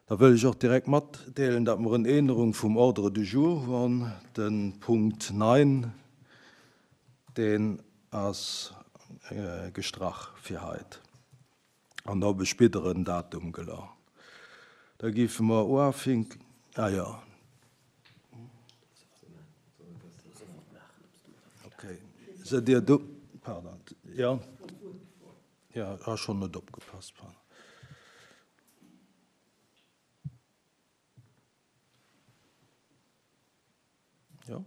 Da wëll ech och direkt matdeelen, datt mer en Änerung vum Ordre du jour hunn. De Punkt 9, deen ass gestrach fir haut an op e spéideren Datum gela. Da géife mer uafink, ah jo, okay, sidd Dir do? Pardon, jo, jo, ech hu schonn net opgepasst, pardon. Jo.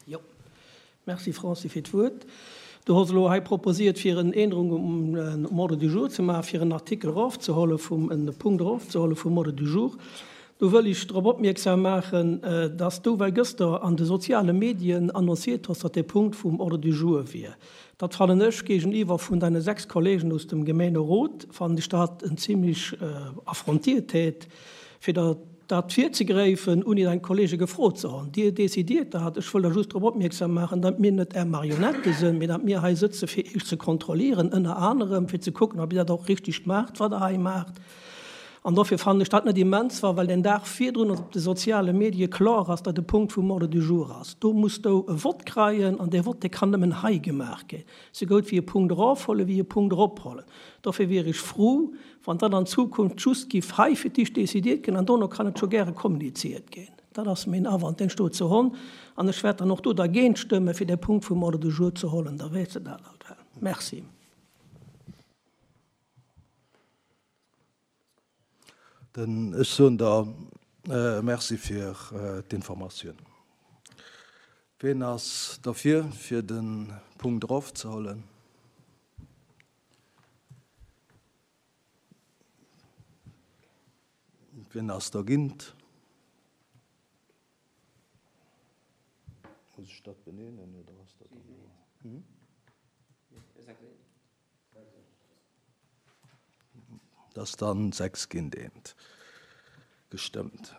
Jo. Merci Francis fir d'Wuert. Du hos elo hei proposiert fir en Ännerung um Ordre du jour ze maachen, fir en Artikel erofzeholle vum, en Punkt erofzeholle vum Ordre du jour. Do wëll ech drop opmierksam maachen, dass du well gëster an de soziale Medien annonciert hos, datt dee Punkt vum Ordre du jour wier. Dat fannen ech géigeniwwer vun deine 6 Kollegen aus dem Gemeenerot, fannen ech dat en zimlech Affrontiertät, fir der dat virzegräifen, ouni deng Kollege gefrot ze hon. Dir decidiert dat. Ech wëll der just drop opmierksam maachen, datt mir net Är Marionette sinn, mee datt mir hei sëtze fir Iech ze kontrollieren, ënner anerem fir ze kucken, ob Dir dat och richtig maacht, wat Der hei maacht. An dofir fannen ech dat net immens wa well den Dag virdrun op de soziale Medie kloer ass, datt e Punkt vum Ordre du jour ass. Do muss do e Vott kreien an dee Vott, dee kann nëmmen hei gemaach ginn. Sou goud wéi e Punkt erofhuelen, wéi e Punkt erophuelen. Dofir wier ech frou, wann dat an Zukunft just giff hei fir d'éischt décidiert ginn an dono kann et scho gäre kommuniziert ginn. Dat ass mäin Awand, deen ech dozou honn. An ech wäert dann och do dergéint stëmmen, fir dee Punkt vum Ordre du jour ze hollen. Da weess de dat alt well. Merci. Den, ech soen der Merci fir d'Informatioun. Ween ass derfir, fir de Punkt erofzehuelen? Wien ass dergint? Muss ech dat benennen oder ass dat dann? Dat ass dann 6 géint eent gestëmmt.